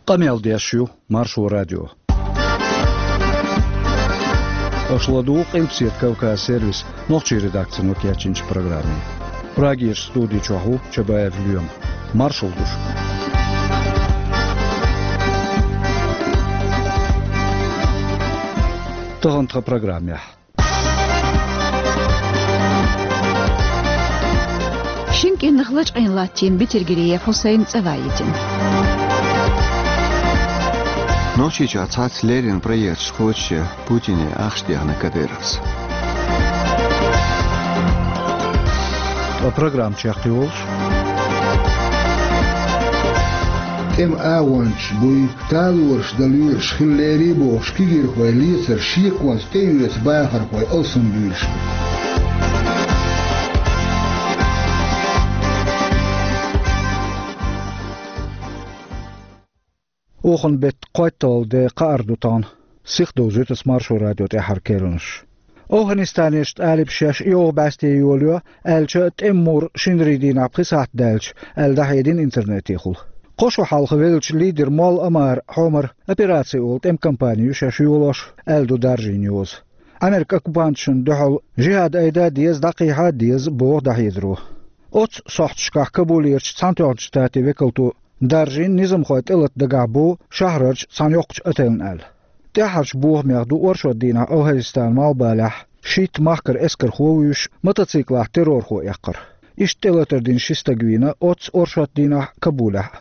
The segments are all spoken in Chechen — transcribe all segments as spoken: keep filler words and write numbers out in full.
Къамел деш ю Маршо радио. Аша ладугӀу Къилбаседа Кавказ сервисан нохчийн редакцино кечйинчу программе. Прагерчу студи чохь ву Чабаев Лоьма. Маршалла ду шуьга. Тахана тхан программехь. Шина кӀентах лачкъийна латтийна Бетелгириев Хьусайн цӀа ваийтина. Нохчийчохь цхьацца леррина проекташ кхочушъян Путине ахча дехна Кадыровс. Ткъа программа чекхйолуш. ТӀеман агӀончаш буй, талораш дан лоьруш хила лерий бохуш, кегийрхой лецар шеконца тӀеоьцу бахархой алсамбуьйлуш бу. Оханан беттан кхойтталгӀа де кхаара ду тахана. Сихдовзуьйту ас Маршо радион тӀаьххьара керланаш. ОвхӀанистанерчу талибаша шаьш йовха бӀаьсте йолайо, аьлча а, тӀеман мур шинарин дийнахь пхи сахьт даьлча, аьлла дӀахьедина интернетехула. Кхо шо хьалха веллачу лидеран молла Омара Хьомара операци олу тӀеман кампани ю шаьш йолош, аьлла ду даржийн йоза. Ӏамеркан оккупанташна дуьхьал жихӀад айда а деза, дӀакхехьа а деза, боху дӀахьедаро. Оццу сохьташкахь Кабулерчу Цхьаьнатоьхначу Штатийн векалто даржийна низамхой тӀелата дагахь бу шахьарарчу цхьана йоккхачу отелна аьлла. ТӀаьххьарчу бохамех ду оршот дийнахь ОвхӀанистанан малхбалехь шийтта махкара эскархо а вуьйш, мотоциклахь террорхо эккхар. Иштта тӀелатар дина ши стаг вийна оццу оршот дийнахь Кабулехь а.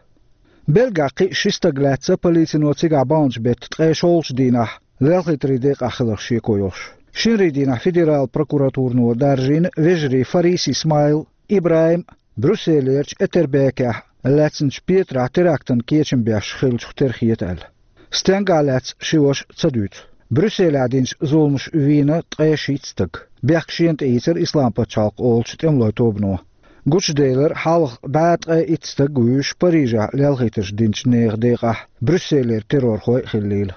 Белгахь кхин а ши стаг лаьцна полицино цигахь баханчу беттан ткъе шолгӀачу дийнахь, лелхийтарийн декъахь хиларх шеко йолуш. Шинарин дийнахь федералан прокуратуро даржийна вежарий Фарис Исмаил, ИбрахӀим, Брюсселерчу Этербекехь лаьцначу петарехь терактан кечам беш хиллачух тера хета аьлла. Стенгахь лаьцна ши ваша ца дуьйцу. Брюсселехь динчу зуламаша вийна ткъе шийтта стаг. Бехк шена тӀеийцира Ислам-пачхьалкх олучу тӀемалойн тобано. Гучуделира хьалха бӀе ткъе итт стаг вуьйш Парижехь лелхийтарш динчу нехан декъахь Брюсселера террорхой а хиллийла.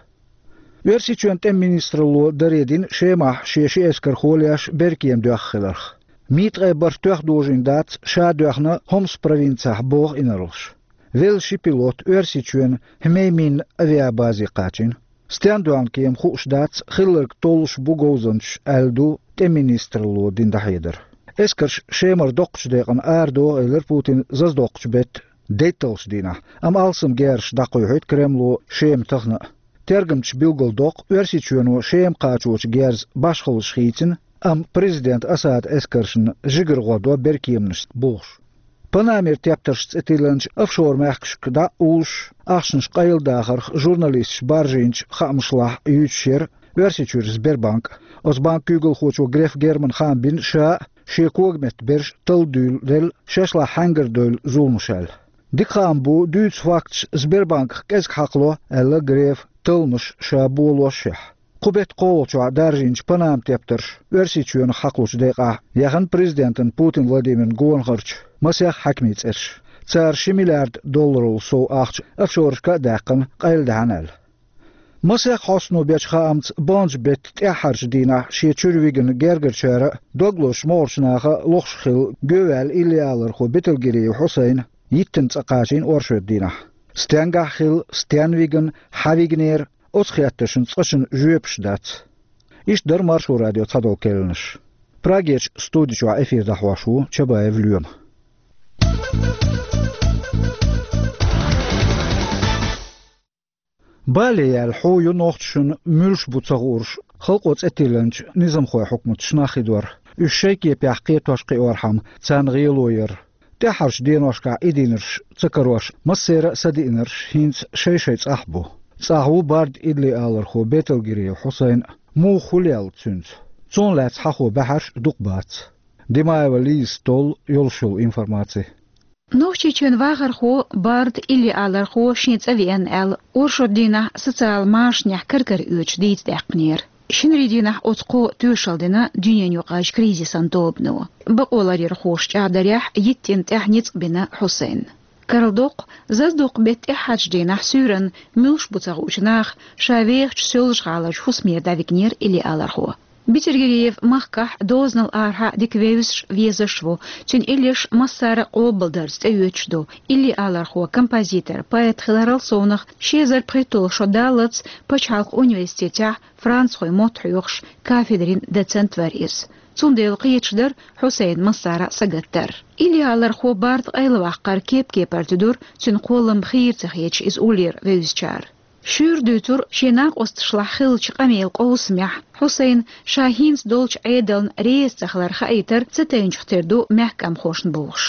Оьрсийчоьнан тӀеман министралло даредина Шемахь шен ши эскархо леш беркема доьхна хиларх. Мин ткъе бархӀ тоьхна дожийна дац ша доьхна Хомс провинцехь, боху инарлаша. Велла ши пилот Оьрсийчоьнан Хьмеймим авиабазе кхачийна. Стенна доьхна кема хууш дац, хилларг толлуш бу говзанчаш, аьлла ду тӀеман министралло дина дӀахьедар. Эскарш Шемара доккхачу декъана арадоху, элира Путина, зазадоккхучу беттан дейтталгӀачу дийнахь, амма алсам герзаш дӀакхоьхьуьйту Кремло Шема тахана а. Тергамчаша билгалдоккху, Оьрсийчоьно Шема кхачочу герзан башхаллаш хийцина, амма президент Асадан эскаршна жигара гӀо до беркеманашца бохуш. Панамера тептарш цӀе тиллинчу офшор-мехкашка дӀа а уллуш, ахчанаш къайладахарх журналисташа баржийначу хаамашлахь юьйцуш яра Оьрсийчуьра Сбербанк. Оцу банкан куьйгалхочо Греф Германа хаам бина ша а, шен когаметта берш а талладуьйлуделла шаьш лахь хьаьнгара девлла зуламаш аьлла. Дика хаам бу, дуьйцу факташ Сбербанках кӀезиг хьакхало, аьлла Грефа, талламаш ша болошшехь. Кху беттан кхоалгӀачохь даржийначу Панама тептарша Оьрсийчоьнах хьакхалучу декъехь яхана президентан Путин Владимиран гонахарчу масех хьаькамийн цӀераш. Цара ши миллиард долларал сов ахча офшорашка а даьккхина, къайладаьхьна аьлла. Масех хьостано бечу хаамца, баханчу беттан тӀаьххьарчу дийнахь шен чуьра вигна гергарчара а, дог лозучу могӀарчу наха а лохуш хилла гӀевттина иллиалархо Бетелгириев Хьусайн йиттина цӀа кхачийна оршот дийнахь. Стенгахь хилла, стенна вигна, хьан вигнера, оцу хеттаршна цкъачунна жоьпаш дац. Иштта дара Маршо радион цхьадолу керланаш. Прагерчу студи чохь эфир дӀахьош ву Чабаев Лоьма. Бале яьлла хьу ю нохчашна муьлш бу ца хуурш халкъо цӀе тиллинчу низамхойн хьукматаш нах хи дор. Уьш шайн кепехь кхетош кхиорхьама, царна гӀело яр. ТӀаьххьарчу деношкахь и динарш ца карош, массеран а са диънарш хӀинца шай-шайн цӀахь бу. ЦӀахь ву барда иллиалархо Бетелгириев Хьусайн а. Муха, хӀун лелла цуьнца? Цунах лаьцна хьахо баьхьарш а дукха бац. Димаева Лизас толлу йолуш йолу информаци. Нохчийчоьнан вахархо, барда иллиалархо шен цӀа веана аьлла, оршот дийнахь социал машанехь кар-кара оьцуш дийца даьккхинера. Шинарин дийнахь оцу кхо тоьшалла дина дуьненаюкъарчу кризисан тобано. Бакъоларъярхоша чӀагӀдарехь, йиттина тӀаьхьа ницкъ бина Хьусайнна. Карладоккху, зазадоккху беттан тӀаьххьарчу дийнахь суьйранна муьлш бу ца хуучу наха ша вехачу Соьлжа-ГӀаларчу хӀусамера дӀавигнера иллиалархо. Бетергериев махкахь дозанал арахьа дика вевзаш, везаш ву. Цуьнан иллеш массара а къобалдарца тӀеоьцуш ду. Илли алархо, композитор, поэт хиларал совнах, ши эзар пхийтталгӀа шо даллалц пачхьалкхан университетехь францхойн мотт хьоьхуш кафедрин доцент вара иза. Цундела кхеташ дара Хьусайн массара а сагатдар. Илли алархо барда къайлаваккхар кеп-кепара туьдура, цуьнан кхоллам хийра ца хеташ иза уллера вевзачара. Шуьйра дуьйцура шен накъосташлахь хиллачу къамелан къовсамехь Хьусайна ша хӀинца долчу Ӏедална реза ца хилар хаийтар ца тайначух тера ду мехкамхошна бохуш.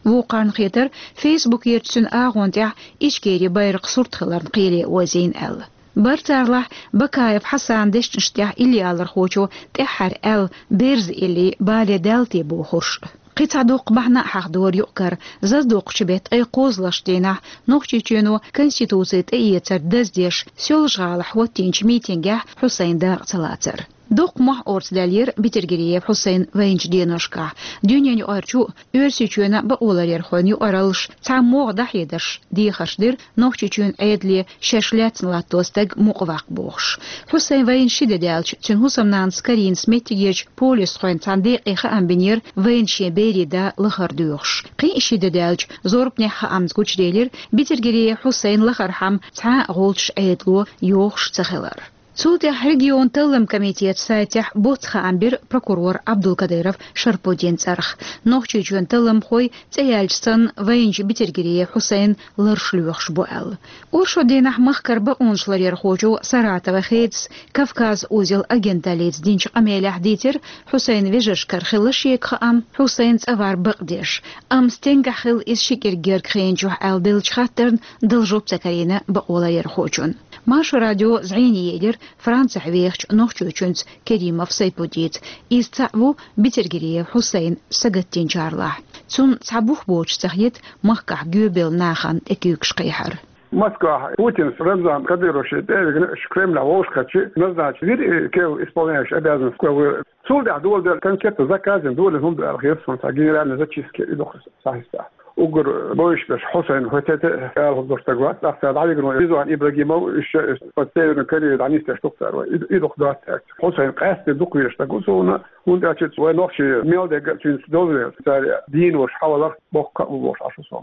Вукхарна хетара, фейсбукерчу цуьнан агӀон тӀехь Ичкерин байракхан сурт хиларна кхеле озийна аьлла. Бара царлахь Бакаев Хьасанан дешнаш тӀехь илли алархочо тӀаьххьара аьлла, берза илли бале даьлла те бохурш. Кхин цхьа дуккха бахьана а хьахдора юкъ-кара, зазадоккхучу беттан ткъе кхозлагӀчу дийнахь Нохчийчоьно Конституци тӀеэцар даздеш, Соьлжа-ГӀалахь хӀоттийначу митингехь Хьусайн дакъа ца лацар. Доккха мохь орца даьллера Бетергериев Хьусайнан вайначу деношкахь. Дуьненаюкъарчу а, Оьрсийчоьнан а бакъоларъярхойн юкъараллаш цхьамогӀа дӀахьедарш дехарш дира Нохчийчоьнан Ӏедале шаьш лаьцна латто стаг мукъаваккха бохуш. Хьусайн вайна ши де даьлча, цуьнан хӀусамнанас Каринас меттигерчу полисхойн цхьана декъе хаам бинера вайна шен берийн да лахара доьхуш. Кхин а ши де даьлча, зорбанехь хаамца гучуделира Бетергериев Хьусайнан лахархьама цхьа а гӀулчаш Ӏедало йохуш ца хилар. Цул тӀаьхьа регионан талламан комитетан сайтехь боцца хаам бира прокурора Абдулкадыров Шарпудинан цӀарах. Нохчийчоьнан талламхой, цӀе яьлча санна, вайначу Бетергериев Хьусайнан ларш лоьхуш бу аьлла. Оршот дийнахь махкара бакъонаш ларъярхочо Саратован хедас Кавказ узел агенталлица динчу къамелехь дийцира Хьусайнан вежаршкара хилла шега хаам, Хьусайнан цӀа вар бакъдеш, амма стенгахь хилла иза ши кӀирг герга хиъначохь аьлла деллачу хаттарна дала жоп ца карийна бакъоларъярхочунна. Маршо радио зӀене елира Францехь вехачу нохчочуьнца Керимов Сайпудица. Иза цхьаъ ву Бетергериев Хьусайн сагатдинчарлахь. Цунна цхьа бух боцуш ца хета махкахь гоьбелла нахана тӀекуьйгаш кхехьар. Москвахь Путинс Рамзан Кадыровс тӀе а вигна, уьш Кремлехь вовшахкхетча, назначить вира и кевлла исполняющий обязанности кевлла. Цул тӀаьхьа доладелла конкретно заказано долийна хӀума ду аьлла хета суна, цхьа генеральный зачистка и ду-кх схьахьаьстахь. Уггар бовзаш берш Хьусайн хӀоьттина ала хӀума долуш стаг вац, тӀаккха цара дӀавигна ву Ризван Ибрагимов, уьш под Северную Корею дӀанисдеш ду-кх цара вай. И, и ду-кх дац аьлла. Хьусайн къаьсттина дукха везаш стаг ву суна, хӀунда аьлча вай нохчий мел дерг а цуьнца довзавелла, цара дийна волуш хьалавалар боккха а бу бохуш Ӏаш ву со.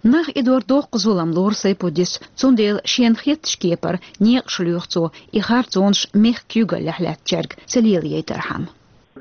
Нах и дор доккха зулам лору Сайпудис, цундела шена хеттачу кепара некъаш лоьху цо, и харцонаш мехкан куьйгаллехь лаьттачаьрга ца лелаяйтархьама.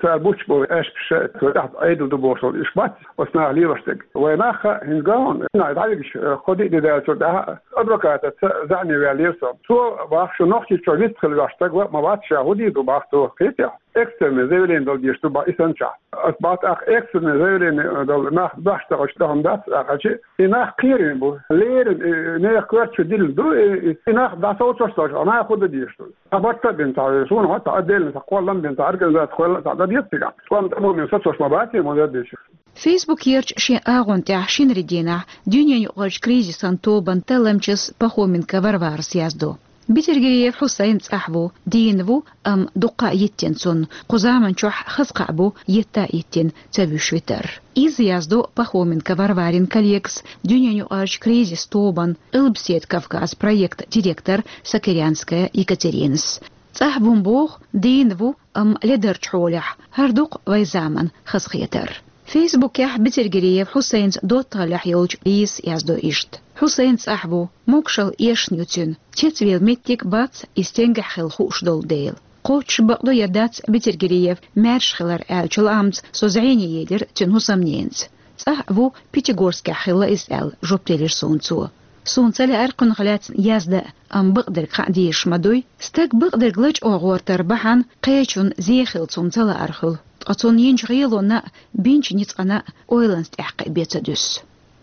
Цара буьтуш болу аьшпаш, цо тӀехь Ӏедал ду бохуш болу уьш бац, оцу наха лелош дерг. Вайн нах а, хӀинца ган, нах дӀавигаш, кхо-диъ де даьллачул тӀаьхьа адвокатаца зӀене ваьллера со. Цо боху, шу Нохчийчохь вист хила веш стаг ва, ма вац ша, хӀун дийр ду боху цо, кхетий? Экстренное заявление дала дезаш ду боху и санначохь. Ас боху тӀаккха экстренное заявление дала нах баьхьаш ца хилча, тӀехь хӀума дац аьлча, и нах кхерийна бу. Леррина, и нехан коьрта чу диллина ду, и, и, и нах дӀасовцош ца хилча, наха хӀун дан дезаш ду? Цхьа барт а бина цхьа, суна хӀун цхьа отдельно цхьа кхоллам бина цхьа организаци хуьлла цхьа дан деза цигахь. ТӀом тӀамомин сацош ма бац, ма дан дезаш. Фейсбукерчу шен агӀон тӀехь шинарин дийнахь дуьненаюкъарчу кризисан тобан талламчас Пахоменко Варварас яздо. Бетергериев Хьусайн цӀахь ву, дийна ву, амма дуккха а йиттина цунна, кху заманчохь хаза кхаъ бу етта а йиттина ца вуьйш витар. Иза яздо Пахоменко Варварин коллегас, дуьненаюкъарчу кризис тобан Къилбаседа Кавказ проектан директор Сокирянская Екатеринас. ЦӀахь ву-м боху, дийна ву, амма ледарчу хьолехь, хӀара ду-кх вайн заманан хазахетар. Фейсбукехь Бетергериев Хьусайнца доттагӀаллехь йолчу Лизас яздо иштта. Хьусайн цӀахь ву, могушалла эшна ю цуьнан, цецвелла меттиг бац, и стенгахь хилла хууш долу дела. Кхоччуш бакъду я дац Бетергериев маьрша хилар аьллачу лаамца со зӀене елира цуьнан хӀусамненаца. ЦӀахь а ву, Пятигорскехь хилла иза аьлла, жоп делира суна цо. Суна ца лаьара кхунах лаьцна яздан а, амма бакъдерг хаа дезаш ма дуй. Стаг бакъдерг лачкъо гӀортар бахьана кхечунна зе хила цунна ца лаар хуьлу. Ткъа цунна йинчу гӀелонна а, бинчу ницкъана а ойланца тӀаьхкха бен ца дуьсу.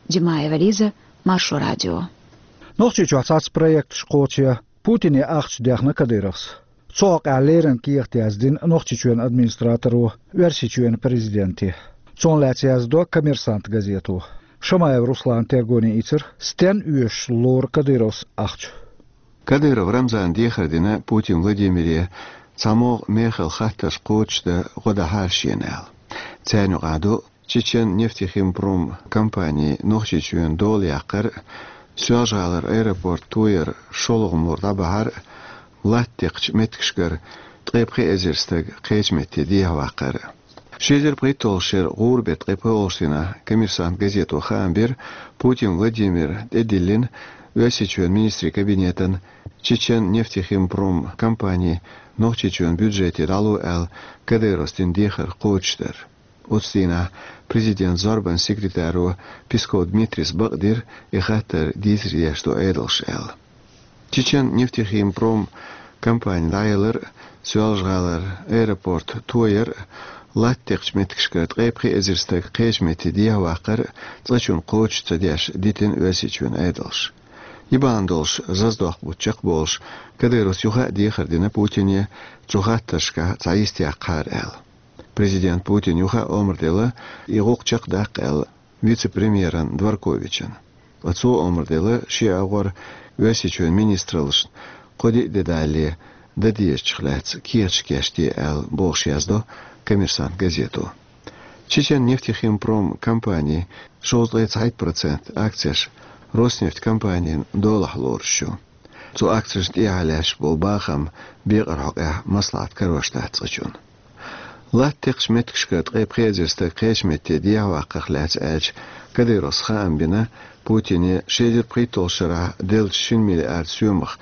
Димаева Лиза, Маршо радио. Нохчийчохь цхьацца проекташ кхочу я Путине ахча дехна Кадыровс. Цу хьокъехь леррина кехат яздина Нохчийчоьнан администраторо Оьрсийчоьнан президенте. Цунах лаьцна яздо «Коммерсант» газето. Шамаев Руслана тергоне ийцира, стенна оьшуш лору Кадыровс ахча. Кадыров Рамзана дехар дина Путин Владимире цхьамогӀа мехала хаттарш кхочушдан гӀо дахьара шена аьлла. Царна юкъахь ду Чечен нефтехимпром компанин Нохчийчоьнан дола яккхар, Соьлжа-ГӀалара аэропорт тояр, шолгӀа мур дӀабахьар, латта декхачу меттигашкара ткъе пхи эзар стаг кхечу метте дехьаваккхар. Ши эзар пхийтталгӀачу шеран гӀуран беттан ткъе пхоьалгӀачу дийнахь «Коммерсант» газето хаам бира, Путин Владимира тӀедиллина Оьрсийчоьнан министрийн кабинетана Чечен-нефтехимпром компани Нохчийчоьнан бюджете дӀало аьлла Кадыровс дина дехар кхочушдар. Оцу дийнахь президентан зорбанан секретаро Песков Дмитрийс бакъдира, и хаттар дийцаре деш ду Ӏедалша аьлла. Чечен-нефтехимпром компани дӀаялар а, Соьлжа-ГӀалара аэропорт тояр а, латта текхачу меттигашкара ткъе пхи эзар стаг кхечу метте дехьаваккхар а цкъачунна кхочуш ца деш дитина Оьрсийчоьнан Ӏедалша. И бахьана долуш заздоккху бутт чекхболуш, Кадыровс юха а дехар дина Путине, цу хаттаршкахь цхьа йист яккхахьара аьлла. Президента Путина юха а омра делла и гӀуллакх чекхдаккха аьлла вице-премьерна Дворковична. Ткъа цо омра делла шен агӀор Оьрсийчоьнан министраллашна кхо-диъ де далале дан дезачух лаьцна кехаташ кечде аьлла, бохуш яздо «Коммерсант» газето. Чечен-нефтехимпром компанин шовзткъе цхьайтта процент акцеш «Роснефть» компанин долахь лоруш ю. Цу акцешна тӀехьа лаьтташ болу бахам бекъарчу хьокъехь маслаӀат карош дац цкъачунна. Латта текхачу меттигашкара ткъе пхи эзар стаг кхечу метте дехьаваккхарх лаьцна аьлча, Кадыровс хаам бина Путине ши эзар пхийтталгӀачу шарахь деллачу шина миллиард соьмах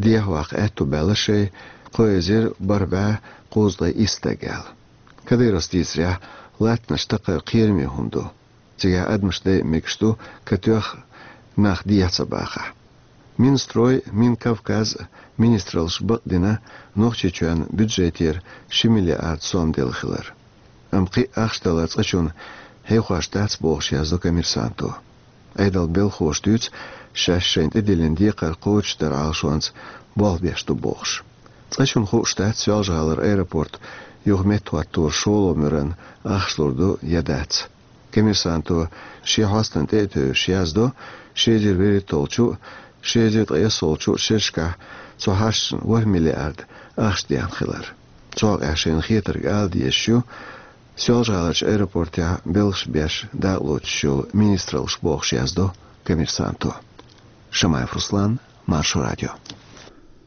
дехьаваккха аьтто баьлла шайн кхо эзар бархӀ бӀе кхузткъе исс стаг аьлла. Кадыровс дийцарехь, латтанаш такхар кхераме хӀума ду. Цигахь адамаш дайа мегаш ду, катоьхна нах дехьа ца бахахь. Минстрой, Минкавказ министраллаша бакъдина Нохчийчоьнан бюджетера ши миллиард сом делла хилар. Амма кхин а ахча далар цкъачунна хьехош дац, бохуш яздо «Коммерсанто». Ӏедалан белхалоша дуьйцу, шаьш шайна тӀедиллина декхар кхочушдаран Ӏалашонца болх беш ду бохуш. Цкъачунна хууш дац, Соьлжа-ГӀалара аэропорт юха меттахӀотторан шолгӀа муьрана ахча лур ду я дац. «Коммерсанто» шен хьостана тӀе а тевжаш яздо, ши эзар вуьрхӀитталгӀачу а, ши эзар ткъайоьсналгӀачу а шерашкахь цу хьашташна ворхӀ миллиард ахча деана хилар. Цу хьокъехь шайна хетарг ала дезаш ю Соьлжа-ГӀаларчу аэропортехь белхаш беш дакъалоцуш йолу министраллаша, бохуш яздо «Коммерсанто». Шамаев Руслан, Маршо радио.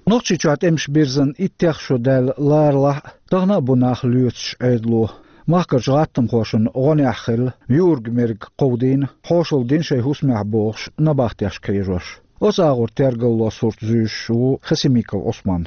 Нохчийчохь тӀемаш бирзина иттех шо даьлла ларалахь а, тахана а бу нах лоьцуш Ӏедало. Махкарчу гӀаттамхошна гӀонехь хилла, юург-мерг кховдийна, хьошалла дина шайн хӀусамехь бохуш, набахтешка хьежош. Оцу агӀор тергалло сурт зуьйш ву Хасимиков Ӏусман.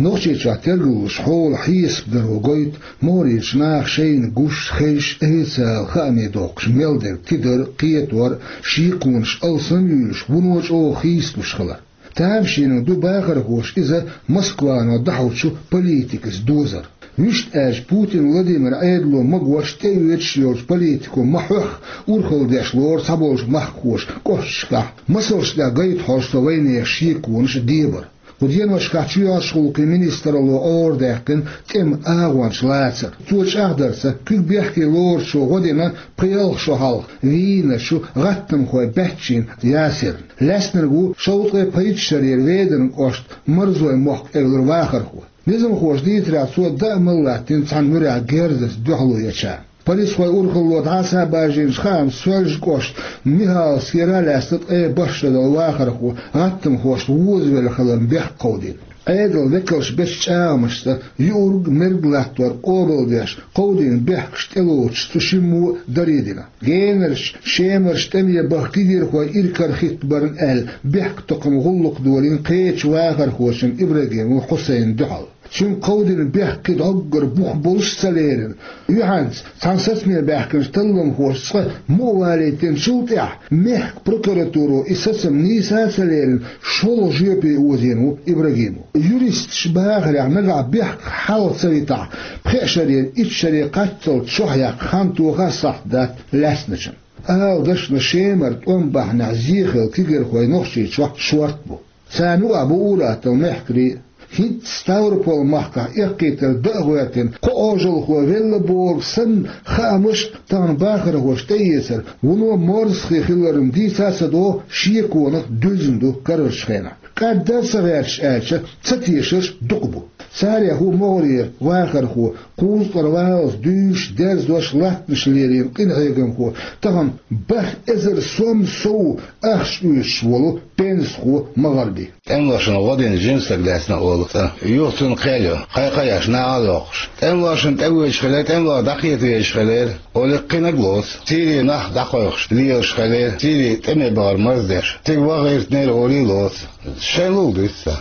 Нохчийчохь тергаллуш хьолан хьесап даро гойту могӀарерчу наха шайна гуш, хезаш, официалан хаамийн доккхуш мел дерг тидар а, кхетор а, шеконаш алсам а юьйлуш, вуно чӀогӀа хийцалуш хилар. Тамашийна ду бахархоша иза Москвано дӀахьочу политикаца дозар. Вуьшта аьлча, Путин Владимиран Ӏедало магош тӀеоьцуш йолчу политико ма-хьоьхху урхалла деш лору цхьаболчу махкахоша кӀошташкахь, масалш тӀехь гайта хьожу со вайнехан шеконаш а, дебар. Кху деношкахь чоьхьарчу гӀуллакхийн министралло Ӏорадаьккхина тӀеман агӀончаш лацар. Цо чӀагӀдарца, куьг бехке лоручо гӀо дина пхи-ялх шо хьалха Вийначу гӀаттамхойн баьччина Ясирна. Лаьцнарг ву шовзткъе пхийтта шарера Веданан кӀоштан Марзойн мохк эвлара вахархо. Низамхоша дийцарехь, цо даа мала латтийна цхьана муьрехь герзаца дуьхьало еча. Полисхойн урхалло дӀасабажийначу хаамца, Соьлжа-кӀоштан Михайловскера лаьцна ткъе бархӀ шо долу вахархо гӀаттамхошна возавелла хиларна бехк кховдийна. Ӏедалан векалша бечу чӀагӀамашца, юург-мерг латтор къобалдеш, кховдийна бехкаш тӀелоцуш цу шиммо а даре дина. Генарчу, Шемарчу тӀаме баха кегийрхой иракарахӀиттабарна аьлла, бехктакхаман гӀуллакх долийна кхечу вахархочун Ибрагимов Хьусайнна дуьхьал. Цуьнга кховдийна бехк кхин дӀоггара бух болуш а ца лерина, юьхьанца цхьана сацаме баьхкинчу талламхоша цкъа мукъа валийтинчул тӀаьхьа, мехкан прокуратуро и сацам нийса а ца лерина, шолгӀа жоьпе озийна ву Ибрагимов. Юристаша бахарехь, нагахь бехк хьалха ца витахь, пхеа шарера итт шаре кхаччалц чохь яккха хан тоха а сахьт дац лаьцначун. Ала дашна, Шемара тӀом бахьанехь зе хилла кегийрхой Нохчийчохь шорта бу. Царна юкъахь бу ур-атталла мехкарий а. ХӀинца Ставрополан махкахь эккхийтар дан а гӀоьртина, кхо Ӏожалхо велла бохург санна, хаамаш а, тахана бахархоша тӀеэцар вуно морзахе хиларна дийца а ца догӀу, шеконах дуьзна ду карарчу хенахь. КӀаддар а ца гӀерташ аьлча, цатешарш дукха бу. Царех ву могӀарера вахархо, кхузткъара валлалц дуьйш, дерзош, латтанаш лерина къинхьегамхо, тахана бархӀ эзар сом сов ахча оьцуш волу пенсахо МагӀарби. ТӀемалошна гӀо дина жима стаг лаьцна олу цӀа. Юха цунна кхел йо, кхайкхаяш, нахьал йоккхуш. ТӀемалошна тӀевоьдуш хилира, тӀемалоша дӀакхета везаш хилира, олу кхиннаг лоцу. Сирин нах дӀакхойкхуш лелаш хилира, Сири тӀеме бахара марздеш. Цига ваха гӀиртинера олий лоцу. Шайн лула дуьйцу цо.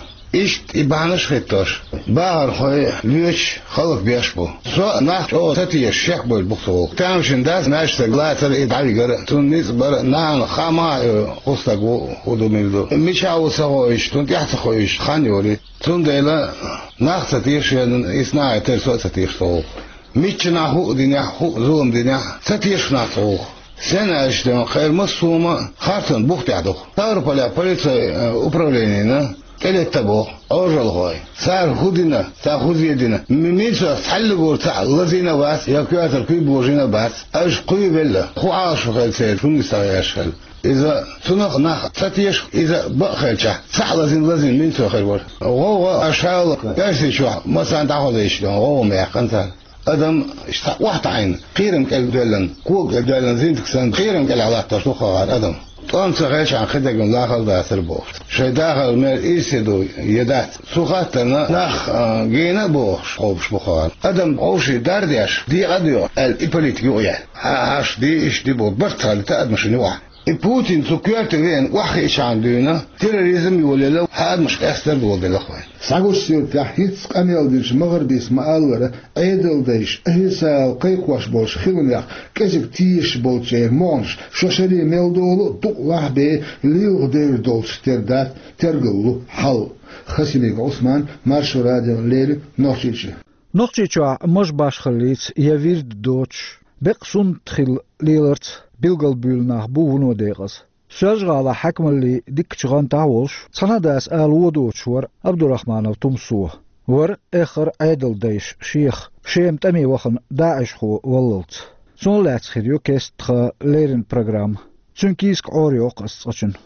Иштта и бахьанаш хӀиттош, бахархой воьдуш, хӀаллакбеш бу. Со а нах чӀогӀа ца тешаш шек бевлла бу-кх цу гӀуллакхе. Тамашийна дац, маьждиг лацар, и дӀавигар, цунна ницкъ бар, нана хаа ма а, э, кху стаг ву, хӀун ду, мила ду. Мичахь ву ца хууш, цунна тӀаьхьа ца хууш хан йолий. Цундела нах ца теша, иза нахе тера, со а ца теша цу гӀуллакхе. Миччанхьа хӀуъа динехь, хӀуъа зулам динехь, ца теша нах цу гӀуллакхе. Стенна аьлча, кхеран массо а хӀума харцонан бух тӀехь ду-кх. Ставрополехь полицейн, э, управленина тӀелетта боху Ӏожалхой. Цара хӀун дина, цара хӀун зе дина. М-, мичахь цхьаллигура цхьаъ лазийна а вац, я коьртара куьйга божийна а бац. Аша кхуьйвелла, хӀун Ӏалашо хилла церан, хӀун нисса яш хилла. Иза цунах нах ца теша, иза бакъ хилчахь, цхьаъ лазийна, лазийна мила хир вара. ГӀовгӀа а шала Оьрсийчохь массарна дӀахьо дайшна, гӀовгӀа ма яьккхина цара. Адам иштта охьатаӀийна, кхерам кӀел доьллина, кога кӀел доьллина зинтик санна, кхерам кӀелахь латтош ду-кх хӀара адам. ТӀом ца хилчахьана кхидерг лахара дацара бохуш. Шайн дахаран мер ирсе ду я дац? Цу хаттарна нах, а, гена а бохуш, кхобуш бу-кх хӀара. Адам вовшийн дар а деш, декъа а доьгӀуш, аьлла, и политика юкъаяьлла. Хьан хьаш ди, иштта ди боху, барт хилийта адамашна юкъахь. И Путин цу коьрте веана охьахиъчахьана дуьйна, терроризм йолаелла, хьан адамаш къестар а доладелла-кх вайна. Схьагучу суьртехь, хӀинцца къамел динчу МагӀарбис ма-аллара, Ӏедалдайша официалан кхайкхош болчу хиламех кӀезиг тешаш болчеран могӀанаш шо шаре мел долу а дукъ лахьбе лелхадер долчух тера дац тергал лу хьал. Хасимиков Ӏусман, Маршо радиона леррина, Нохчийчоь. Нохчийчохь маж башхаллица я вирд доцуш, беккъа суннат хилла леларца билгалбуьйлу нах бу вуно декъаза. Соьлжа-ГӀалахь хьаькамаллин дикачу гӀантахь а волуш, цхьана а дас ала вон доцуш вара Абдурахманов Тумсо. Вара эххар а Ӏедалдайша шех, Шема тӀаме вахана, даӀишхо валлалц. Цунах лаьцна хир ю кеста тхан леррина программа. Цуьнан кийсак Ӏорайоккху аса цкъачунна.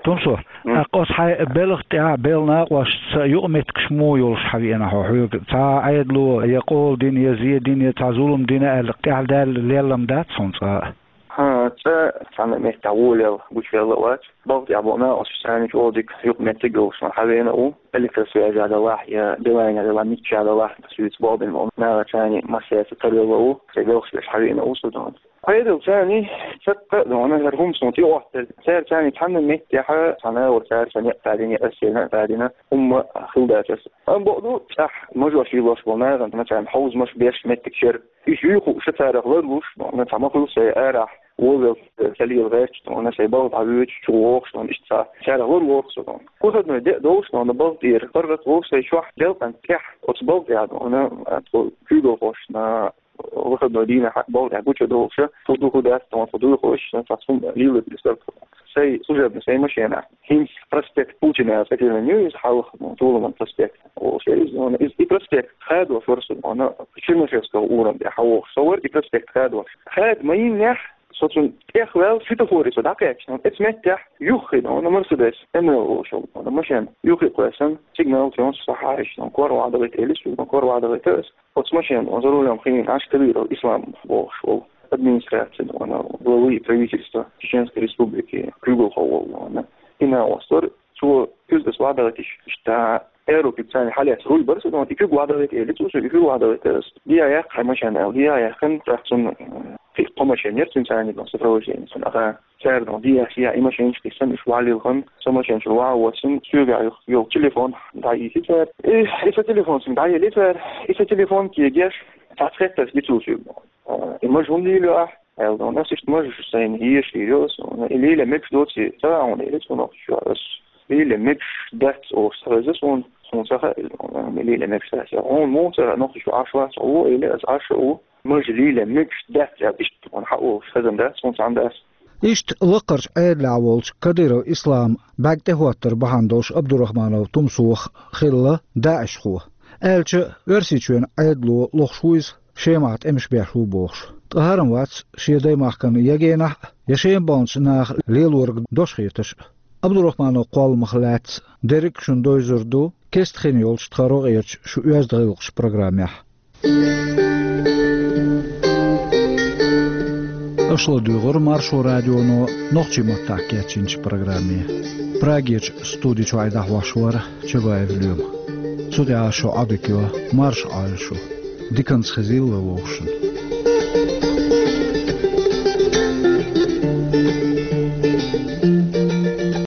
Тумсо, М. тӀаккха оцу хьайн белхан тӀехь а, белхан накъосташца юкъаметтигаш муха йолуш хьан веана хьо? Хьоьга цхьа а Ӏедало я къола дина, я зе дина, я цхьа зулам дина аьлла, тӀаьхьа даьлла леллам дац хьуна цкъа а? ХӀан, цкъа а цхьана а меттехь волавелла, гучувелла а вац. Балха тӀехь болу накъосташца чӀогӀа дика юкъаметтиг а йолуш хьан веана а ву. Электросвязь а делахь, я Билайн а делахь, мичча а делахь, соьца бакъдина болу нахаца массаьрца тарвелла а ву. Сайн белхаш беш хьан веана а ву со дона. Ӏедалца цхьаьна цхьаккха а дона, хӀара хӀума суна тӀеоттаделла. Цаьрца цхьаьна цхьана а меттехь, цхьана а вара цаьрца некъ а дина, я эсцерна а дина, хӀумма хилла дац аса. Амма бакъ ду, цӀахь мажош йиллош болу нахана царна хьовзамаш беш меттиг яра. Уьш юй хууш царах ларлуш, дона цхьа ма хуьлу сайн арахь, вовелла ца лела гӀерташ, дона сайн балха дӀавоьдуш, чу вогӀуш, дона иштта цхьа царах ларлора со дона. Выходной де а долуш, дона балха тӀера паргӀат волуш сайн чохь делкъан тӀехь, оцу балха тӀехь, дона, тхо куьйгалхошна выходной дийнахь балха тӀехь гучудолуш, хӀун ду, хӀун дац, дона тхо дуьйхуш, цхьа цхьа хӀума лелийта дезара тхо. Сайн служебный, сайн машенахь. ХӀинца проспект Путина аьлла цӀе тиллина ю иза хьалха, Тулуман проспект олуш яра иза, дона. Иза и проспект хадош вара со, дона, Чернышевского урам тӀехь хьан вогӀуш со вара и проспект хадош. Хада ма йиннехь, со цунна тӀехваьлла, светофоре со дӀакхаьчна, дона, оцу меттехь юххе, дона, Мерседес М Л олуш йолу, дона, машен юххе кхоьссина, сигнал чу йонаш схьахьаьжча, дона, кор охьадахийта элира соьга, дона, кор охьадахийта аса. Оцу машенан за рулем хиъна Ӏаш Кадыров Ислам бохуш волу, администрацин, дона, главы правительства Чеченской Республики куьйгалхо волу, дона, и накъост вара. Цо куьзгаш ладагӀийтиш, иштта аэропорт царна хьалаьцна руль бара со, дона, и куьг ладагӀийта элира цо соьга, и куьг ладагӀийта аса. Дехьа яккха хьайн машен аьлла, дехьа яьккхина, тӀаккха цунна, э, кхин а кхо машен яра цуьнан царна, дона, сопровождение цунна, аха. Цара, дона, дехьа, яхь, и машенаш кхиссина, уьш валлилхана, со машен чуьра ван а воссина, соьгахь йолу телефон дӀайийти цара. И, и сан телефон цуьнга дӀаелли цара, и сан телефон кегеш, цхьацца хеттарш ди цо соьга. А, и мажа хӀунда лелайо ахь? Аьлла, дона, ас иштта мажа сайна езаш лелайо ас, дона, и лело мегаш доций ца хаьа хьуна, элира цо нохчийчохь. Ас лело мегаш дац олуш ца хеза суна, суна ца хаьа, дона, и лело мегаш дац. Хьуна муха ца хаьа, нохчийчу Ӏаш вац хьо, элира, ас Ӏаш а ву. Мажа лело мегаш дац аьлла, иштта хьуна хьан олуш хезна дац суна цхьанна а. Иштта лакхарчу Ӏедалехь волчу Кадыров Исламан бӀаьрг тӀехӀоттар бахьана долуш Абдурахманов Тумсох хилла даӀишхо. Аьлча, Оьрсийчоьнан Ӏедало лохуш ву иза, Шемахь тӀемаш беш ву бохуш. Ткъа хӀара-м вац шен даймахкана я генахь а, я Шема баханчу наха лелориг дош хеташ а. Абдурахманов кхолламах лаьцна дерриг а шуна довзур ду Кеста хин йолчу тхан рогӀерчу шу оьзда гӀиллакхаш программехь. Аша ладуьйгӀура Маршо радионо нохчийн маттахь кечйинчу программе. Прагерчу студи чохь и дӀахьош вара Чабаев Лоьма. Цу тӀехь шун Ӏодика йо, марша Ӏойла шу. Диканца хезийла вовшашна.